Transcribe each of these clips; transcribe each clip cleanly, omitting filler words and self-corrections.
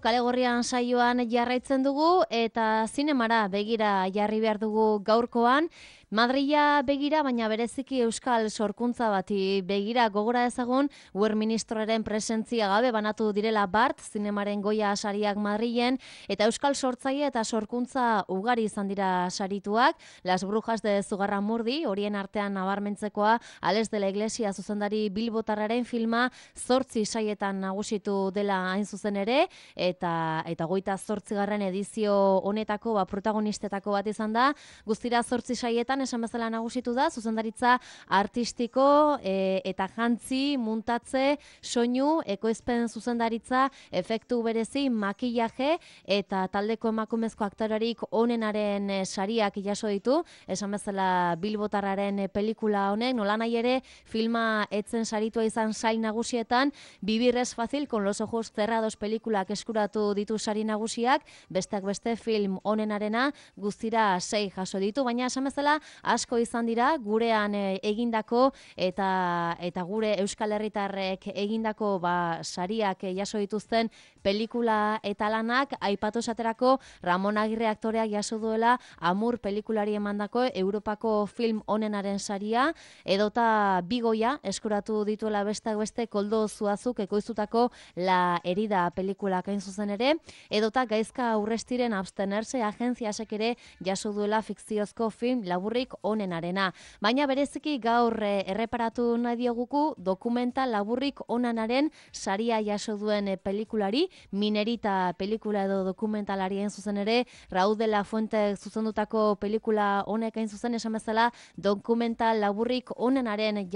Kale Gorrian saioan jarraitzen dugu eta zinemara begira jarri behar dugu gaurkoan. Madrila begira, baina bereziki euskal sorkuntza bati begira gogora ezagun, Ur ministroaren presentzia gabe banatu direla bart, zinemaren goia sariak Madrilen, eta euskal sortzaile eta sorkuntza ugari izan dira sarituak. Las Brujas de Zugarramurdi, horien artean nabarmentzekoa, Ales de la Iglesia zuzendari bilbotarraren filma 8 saietan nagusitu dela hain zuzen ere, eta 28. edizio honetako protagonistetako bat izan da. Guztira 8 saietan esan bezala nagusitu da, zuzendaritza artistiko eta jantzi, muntatze, soinu, ekoizpen zuzendaritza, efektu berezi, makillaje eta taldeko emakumezko aktorerik onenaren sariak jaso ditu, esan bezala bilbotarraren pelikula honek, nolanahi ere filma etzen saritua izan sail nagusietan, Vivir es fácil con los ojos cerrados pelikulak eskuratu ditu sari nagusiak, besteak beste film onenarena guztira 6 jaso ditu, baina esan bezala asko izan dira gurean egindako eta gure Euskal Herritarrek egindako sariak jaso dituzten pelikula eta lanak. Aipatu esaterako Ramon Agirre aktoreak jaso duela Amur pelikulari emandako Europako film onenaren saria, edota Bigoia eskuratu dituela besteak beste Koldo Zuazuk ekoiztutako La Herida pelikulak hain zuzen ere, edota Gaizka Urrestiren Abstenerse agentziasek ere jaso duela fikziozko film laburrik onenarena. Baina bereziki gaur erreparatu nahi dioguku dokumental laburrik onenaren saria jaso duen pelikulari, Minerita pelikula edo dokumentalari hain zuzen ere, Raúl de la Fuente zuzendutako pelikula honek hain zuzen esan bezala dokumental laburrik onenaren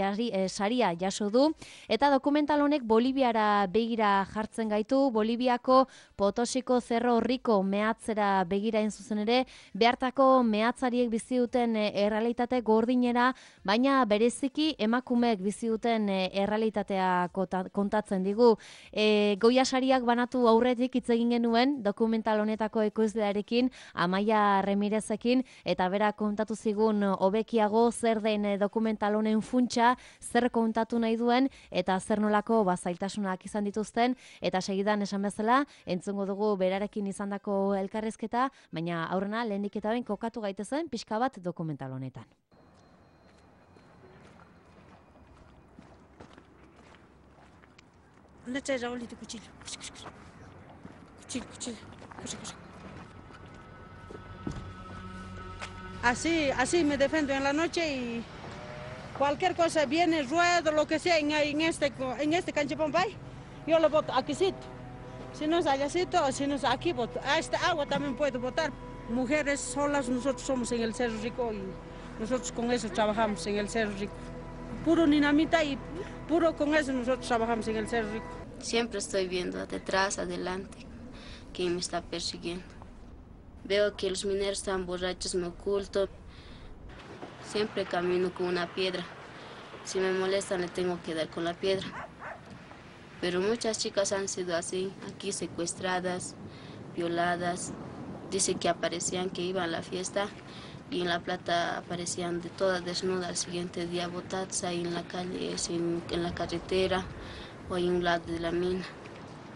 saria jaso du, eta dokumental honek Boliviara begira jartzen gaitu, Boliviako Potosiko Cerro Rico mehatzera begira hain zuzen ere, behartako mehatzariek bizi duten errealitate gordinera, baina bereziki emakumeek bizi duten errealitatea kontatzen digu. Goia sariak banatu aurretik hitz egin genuen dokumental honetako ekoizlearekin, Amaia Remirezekin, eta bera kontatu zigun hobekiago zer den dokumental honen funtsa, zer kontatu nahi duen eta zer nolako zailtasunak izan dituzten, eta segidan esan bezala entzungo dugu berarekin izandako elkarrizketa, baina aurrena lehendik eta behin kokatu gaitezen pixka bat dokumental honetan. ¿Dónde está Raúl y tu cuchillo? Cuchillo. Cosa. Así me defiendo en la noche y cualquier cosa viene, ruedo, lo que sea en este cancha Bombay, yo lo boto aquí. Si no es allácito o si no es aquí, boto. A esta agua también puedo botar. Mujeres solas, nosotros somos en el Cerro Rico y nosotros con eso trabajamos en el Cerro Rico. Puro dinamita y puro con eso nosotros trabajamos en el Cerro Rico. Siempre estoy viendo detrás, adelante, quién me está persiguiendo. Veo que los mineros están borrachos, me oculto. Siempre camino con una piedra. Si me molestan, le tengo que dar con la piedra. Pero muchas chicas han sido así, aquí secuestradas, violadas. Dice que aparecían, que iban a la fiesta y en La Plata aparecían de todas desnudas al siguiente día, botadas ahí en la calle, en la carretera o en un lado de la mina.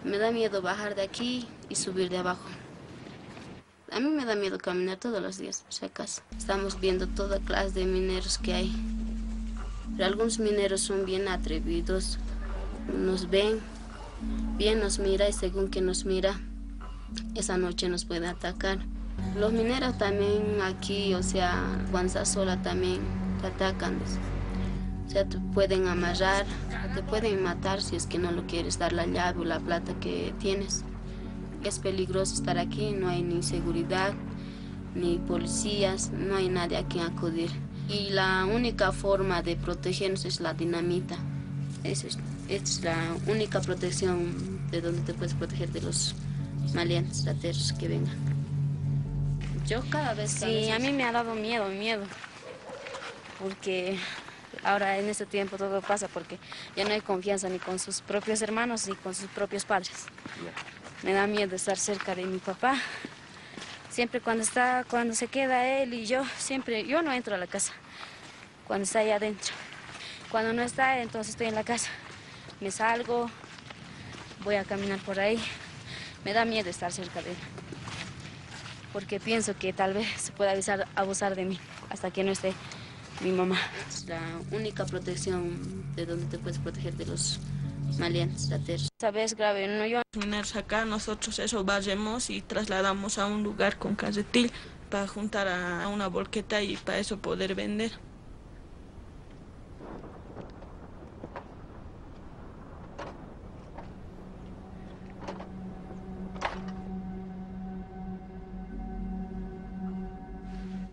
Me da miedo bajar de aquí y subir de abajo. A mí me da miedo caminar todos los días, por si acaso. Estamos viendo toda clase de mineros que hay. Pero algunos mineros son bien atrevidos, nos ven, bien nos mira y según que nos mira, esa noche nos puede atacar. Los mineros también aquí, o sea, cuando estás sola también te atacan. O sea, te pueden amarrar, te pueden matar si es que no lo quieres dar la llave o la plata que tienes. Es peligroso estar aquí, no hay ni seguridad, ni policías, no hay nadie a quien acudir. Y la única forma de protegernos es la dinamita. Esta es la única protección de donde te puedes proteger de los maleantes, rateros que vengan. Yo cada vez... Sí, a mí me ha dado miedo, porque ahora en este tiempo todo pasa porque ya no hay confianza ni con sus propios hermanos ni con sus propios padres. Me da miedo estar cerca de mi papá. Siempre cuando se queda él y yo no entro a la casa, cuando está ahí adentro. Cuando no está, entonces estoy en la casa. Me salgo, voy a caminar por ahí. me da miedo estar cerca de él, porque pienso que tal vez se pueda abusar de mí hasta que no esté mi mamá. Es la única protección de donde te puedes proteger de los maleantes, rateros. Esta vez grave, no yo. Mineros acá, nosotros eso barremos y trasladamos a un lugar con carretil para juntar a una volqueta y para eso poder vender.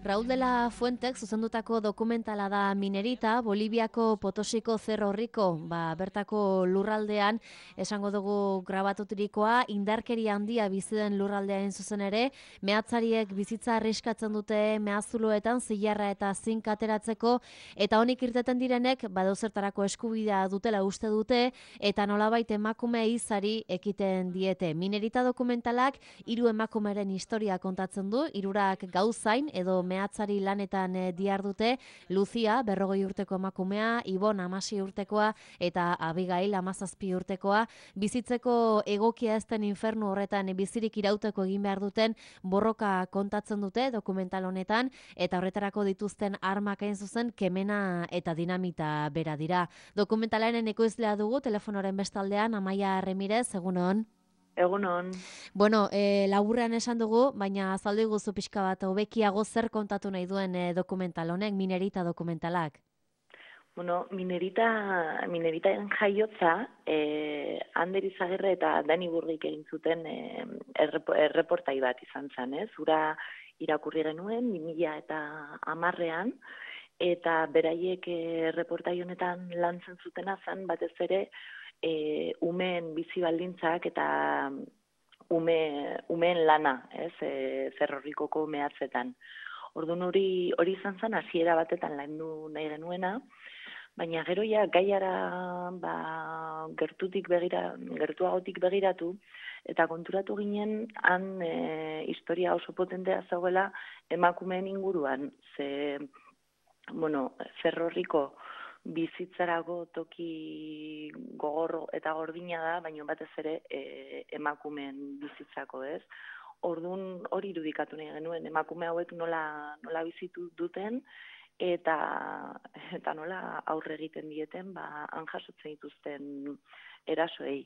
Raúl de la Fuentek zuzendutako dokumentala da Minerita, Boliviako Potosiko Cerro Rico, bertako lurraldean, esango dugu grabatuturikoa, indarkeria handia bizi den lurraldean zuzen ere, mehatzariek bizitza arriskatzen dute mehazuloetan zilarra eta zink ateratzeko, eta honik irteten direnek badozertarako eskubidea dutela uste dute, eta nolabait emakume izari ekiten diete. Minerita dokumentalak 3 emakumeren historia kontatzen du, 3 gauzain edo mehatzari lanetan dihardute, Lucia, 40 urteko emakumea, Ibon, 16 urtekoa, eta Abigail, 17 urtekoa, bizitzeko egokia ez den infernu horretan bizirik irauteko egin behar duten borroka kontatzen dute dokumental honetan, eta horretarako dituzten armak hain zuzen kemena eta dinamita bera dira. Dokumentalaren ekoizlea dugu, telefonoren bestaldean, Amaia Remirez, egunon. Egunon. Bueno, laburrean esan dugu, baina azaldu iguzu pixka bat, hobekiago zer kontatu nahi duen dokumental honek, Minerita dokumentalak? Bueno, Mineritaren jaiotza, Ander Izagirre eta Dani Burgik egin zuten erreportai bat izan zen, ez? Ura irakurri genuen, 2010an, eta beraiek erreportai honetan lantzen zutena zen, batez ere, umeen bizi baldintzak eta umeen lana, ez, Cerro Ricoko mehatzetan. Orduan hori izan zen hasiera batetan landu nahi genuena, baina gero ja gaiara gertuagotik begiratu eta konturatu ginen han historia oso potentea zegoela emakumeen inguruan, ze Cerro Rico bizitzarako toki gogor eta gordina da, baina batez ere emakumeen bizitzako, ez? Orduan hori irudikatu nahi genuen, emakume hauek nola bizitu duten eta nola aurre egiten dieten, han jasotzen dituzten erasoei.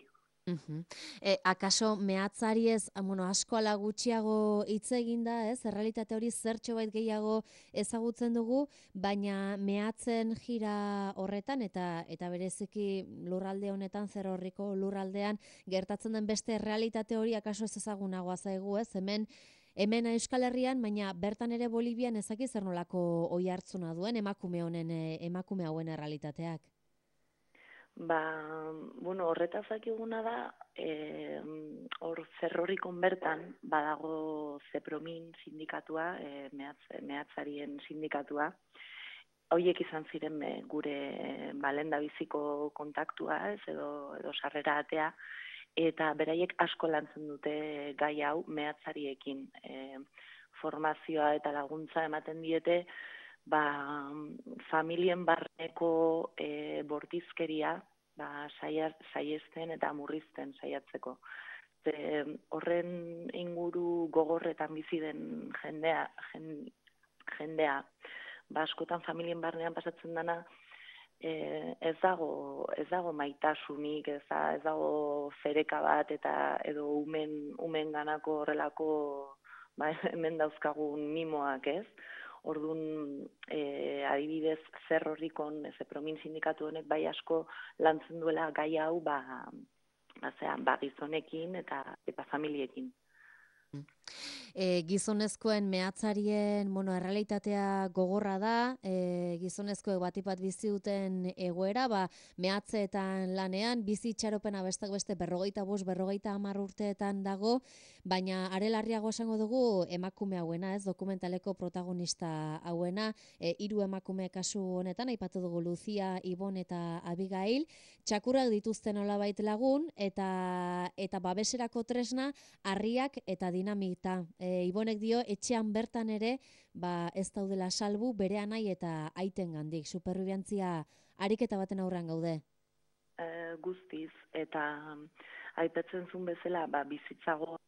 Akaso mehatzari ez, asko ala gutxiago hitz egin da, ez? Errealitate hori zertxo bait gehiago ezagutzen dugu, baina mehatzen jira horretan eta bereziki lurralde honetan, Cerro Rico lurraldean gertatzen den beste errealitate hori akaso ez ezagunagoa zaigu, ez? Hemen Euskal Herrian, baina bertan ere Bolivian ezaki zer nolako oihartzuna duen emakume hauen errealitateak. Horretaz dakiguna da, hor Cerro Ricon bertan badago Zepromin sindikatua, mehatzarien sindikatua. Horiek izan ziren gure lehendabiziko kontaktua, ez, edo sarrera atea, eta beraiek asko lantzen dute gai hau mehatzariekin. Formazioa eta laguntza ematen diete, familien barneko bortizkeria saiesten eta murrizten saiatzeko. Horren inguru gogorretan bizi den jendea, askotan familien barnean pasatzen dana, ez dago maitasunik, ez dago fereka bat edo umen ganako horrelako hemen dauzkagun mimoak, ez? Orduan, adibidez, Cerro Ricon, Zepromin sindikatu honek bai asko lantzen duela gai hau gizonekin eta familiekin. Gizonezkoen mehatzarien errealitatea gogorra da, gizonezkoek batipat bizi duten egoera, mehatzeetan lanean, bizi itxaropena bestak beste 45-50 urteetan dago, baina are larriago esango dugu emakume hauena, ez, dokumentaleko protagonista hauena, 3 emakume kasu honetan, aipatu dugu Lucia, Ibon eta Abigail, txakurrak dituzten nolabait lagun, eta babeserako tresna, harriak eta dinamita. Ibonek dio, etxean bertan ere, ez daudela salbu bere anai eta aiten gandik. Superbibiantzia ariketa baten aurrean gaude. Guztiz, eta aipatzen zuen bezala, bizitzago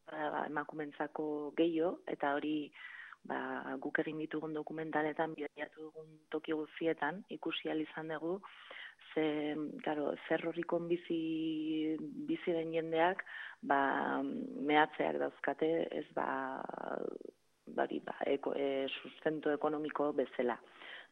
emakumentzako gehiago, eta hori guk egin ditugun dokumentaletan, bidaiatu dugun toki guztietan, ikusi ahal izan dugu, ze, claro, Ferrorrikon bizi den jendeak, mehatzeak dauzkate, ez sustento ekonomiko bezala.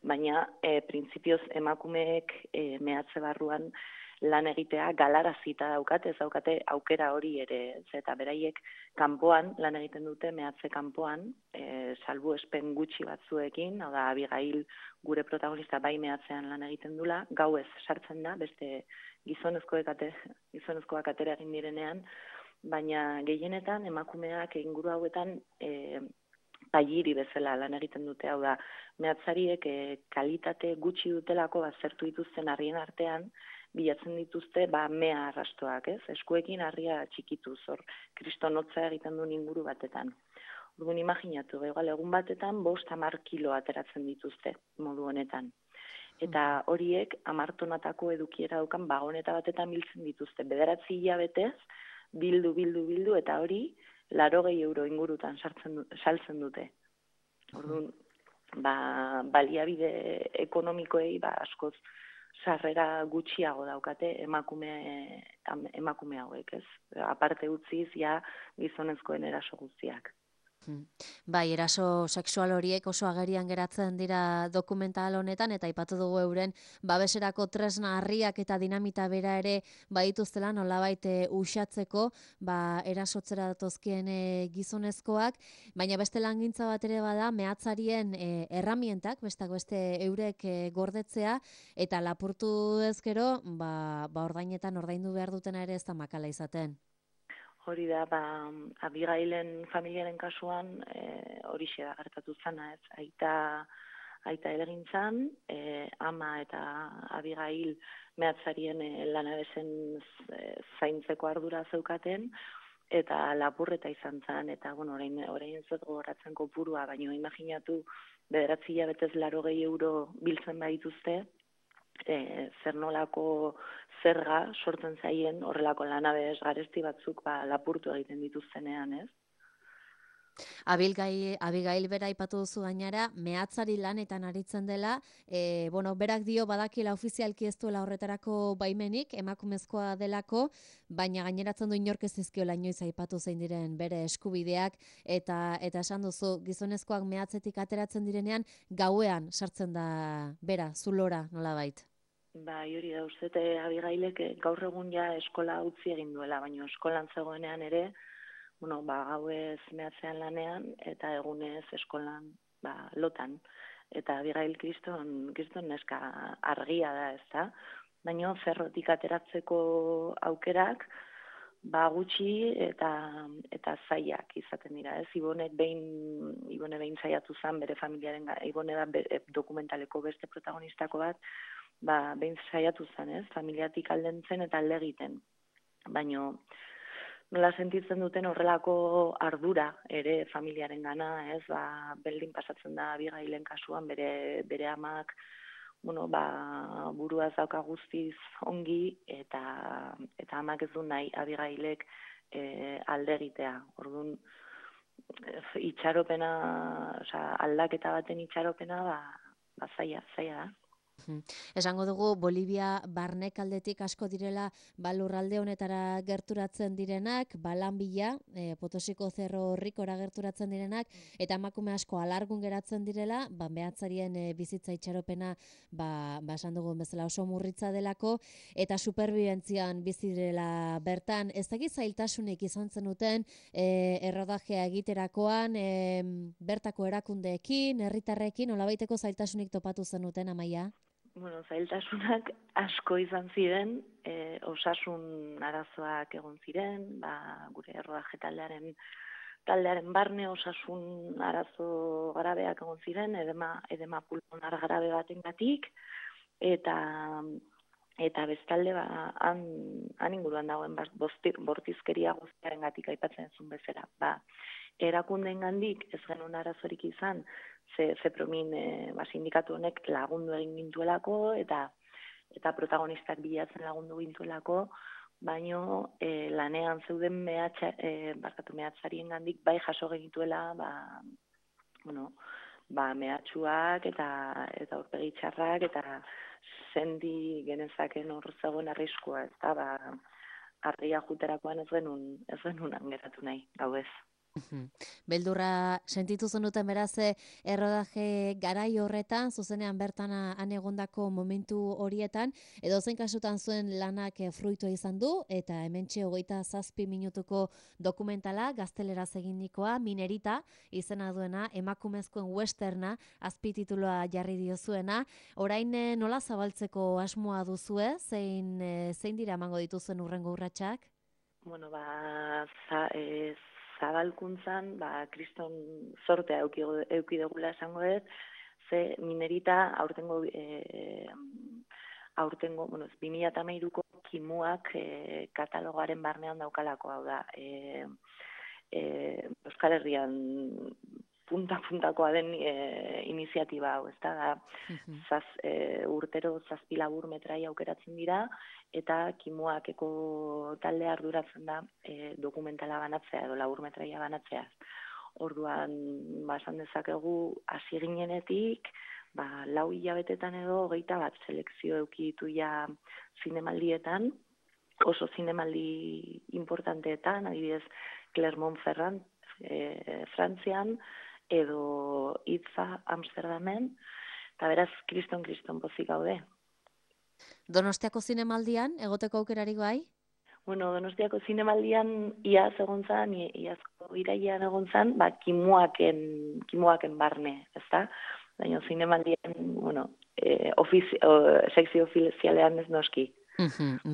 Baina, printzipioz emakumeek mehatze barruan lan egitea galarazita daukate, ez daukate aukera hori ere, eta beraiek kanpoan, lan egiten dute mehatze kanpoan, salbuespen gutxi batzuekin, hau da, Abigail gure protagonista bai mehatzean lan egiten dula, gauez sartzen da, beste gizonezkoak atera egin direnean, baina gehienetan emakumeak inguru hauetan pailiri bezala lan egiten dute, hau da, mehatzariek kalitate gutxi dutelako baztertu dituzten harrien artean, bilatzen dituzte mea arrastoak, ez? Eskuekin harria txikituz, hor kristonotza egiten duen inguru batetan. Orduan imaginatu, egun batetan 5-10 kilo ateratzen dituzte modu honetan. Eta horiek 10 tonatako edukiera daukan bagoneta batetan biltzen dituzte. 9 hilabetez, bildu, eta hori 80 euro ingurutan saltzen dute. Orduan, baliabide ekonomikoei askoz sarrera gutxiago daukate emakume hauek, ez? Aparte utziz, gizonezkoen eraso guztiak. Bai, eraso sexual horiek oso agerian geratzen dira dokumental honetan, eta aipatu dugu euren babeserako tresna harriak eta dinamita bera ere badituztela nolabait uxatzeko erasotzera datozkien gizonezkoak, baina beste langintza bat ere bada mehatzarien erramientak, besteak beste eurek gordetzea, eta lapurtu ezkero, ordainetan ordaindu behar dutena ere ez da makala izaten. Hori da, Abigailen familiaren kasuan horixe da gertatu zana, ez? Aita elegintzan, ama eta Abigail mehatzarien lanabezen zaintzeko ardura zeukaten, eta lapurreta izan zen, eta orain ez dut gogoratzen kopurua, baina imaginatu 9 hilabetez 80 euro biltzen badituzte, zer nolako zerga sortzen zaien horrelako lanabez garesti batzuk lapurtu egiten dituztenean, ez? Abigail bera aipatu duzu gainera, mehatzari lanetan aritzen dela, berak dio badakila ofizialki ez duela horretarako baimenik, emakumezkoa delako, baina gaineratzen du inork ez dizkiola inoiz aipatu zein diren bere eskubideak, eta esan duzu, gizonezkoak mehatzetik ateratzen direnean, gauean sartzen da bera, zulora nolabait. Hori da, uste, Abigailek gaur egun eskola utzi egin duela, baina eskolan zegoenean ere, gauez mehatzean lanean, eta egunez eskolan lotan. Eta Abigail kriston neska argia da, ez da? Baina ferrotik ateratzeko aukerak, gutxi eta zailak izaten dira, ez? Ibone behin saiatu zen bere familiaren, Ibone da dokumentaleko beste protagonistako bat, behin saiatu zen, ez? Familiatik aldentzen eta alde egiten. Baina nola sentitzen duten horrelako ardura ere familiaren gana, ez? Berdin pasatzen da Abigailen kasuan bere amak, buruaz dauka guztiz ongi, eta amak ez du nahi Abigailek alde egitea. Orduan, itxaropena, aldaketa baten itxaropena, zaila da. Esango dugu Bolivia barnek aldetik asko direla lurralde honetara gerturatzen direnak, lan bila, Potosiko Cerro Ricora gerturatzen direnak, eta emakume asko alargun geratzen direla, mehatzarien bizitza itxaropena, esan dugun bezala oso murritza delako, eta superbibentzian bizi direla bertan. Ez dakit zailtasunik izan zenuten errodajea egiterakoan, bertako erakundeekin, herritarrekin, nolabaiteko zailtasunik topatu zenuten, Amaia? Zailtasunak asko izan ziren, osasun arazoak egon ziren, gure errodaje taldearen barne osasun arazo grabeak egon ziren, edema pulmonar grabe batengatik, eta bestalde han inguruan dagoen bortizkeria guztiaren gatik aipatzen zuen bezala. Erakundeengandik ez genuen arazorik izan, Zepromin sindikatu honek lagundu egin gintuelako, eta protagonistak bilatzen lagundu gintuelako, baino lanean zeuden mehatzarien gandik bai jaso genituela, mehatxuak eta aurpegi txarrak eta sendi genezaken hor zegoen arriskua, ez da, argia juterakoan ez genuen geratu nahi, gau ez. Beldurra sentitu zenuten beraz errodaje garai horretan, zuzenean bertan han egondako momentu horietan, edo zein kasutan zuen lanak fruitua izan du, eta hementxe 27 minutuko dokumentala, gazteleraz eginikoa, Minerita, izena duena, emakumezkoen westerna, azpititulua jarri diozuena, orain nola zabaltzeko asmoa duzue, zein dira emango dituzuen urrengo urratsak? Bueno, zabalkuntzan, kriston sortea euki dugula esango ez, ze Minerita aurtengo 2013ko kimuak katalogoaren barnean daukalako, hau da, Euskal Herrian punta-puntakoa den iniziatiba hau, ez da, urtero 7 labur metrai aukeratzen dira, eta kimuakeko talde arduratzen da dokumentala banatzea edo labur metraia banatzea. Orduan, esan dezakegu hasi ginenetik, 4 hilabetetan edo 21 selekzio eduki ditu ja zinemaldietan, oso zinemaldi importanteetan, adibidez Clermont-Ferrand, Frantzian, edo Itza, Amsterdamen, eta beraz, kriston pozik gaude. Donostiako zinemaldian, egoteko aukerarik bai? Bueno, Donostiako zinemaldian iaz egon zan, iazko irailean egon zan, kimuaken barne, ezta? Baina zinemaldian, sekzio ofizialean ez noski.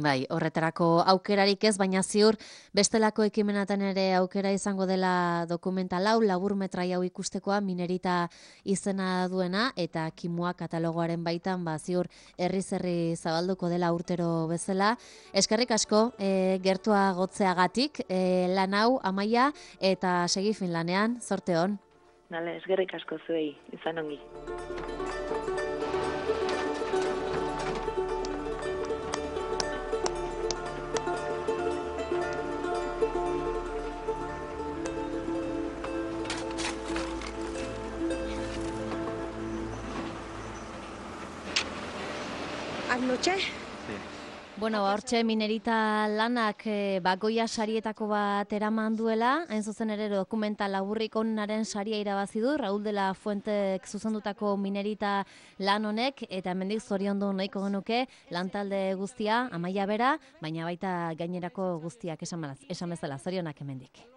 Bai, horretarako aukerarik ez, baina ziur bestelako ekimenatan ere aukera izango dela dokumental hau, labur metrai hau ikustekoa, Minerita izena duena, eta kimua katalogoaren baitan, ziur herri zabalduko dela urtero bezala. Eskerrik asko, gertua gotzeagatik, lan hau, Amaia, eta segi Finlanean, zorte hon. Nale, eskerrik asko zuei, izan ongi. Anoche? Bueno, hortxe Minerita lanak Goya sarietako bat eraman duela, hain zuzen ere dokumental laburrik onaren saria irabazi du, Raúl de la Fuentek zuzendutako Minerita lan honek, eta hemendik zoriondu nahiko genuke lantalde guztia, Amaia bera, baina baita gainerako guztiak esan bezala, zorionak hemendik.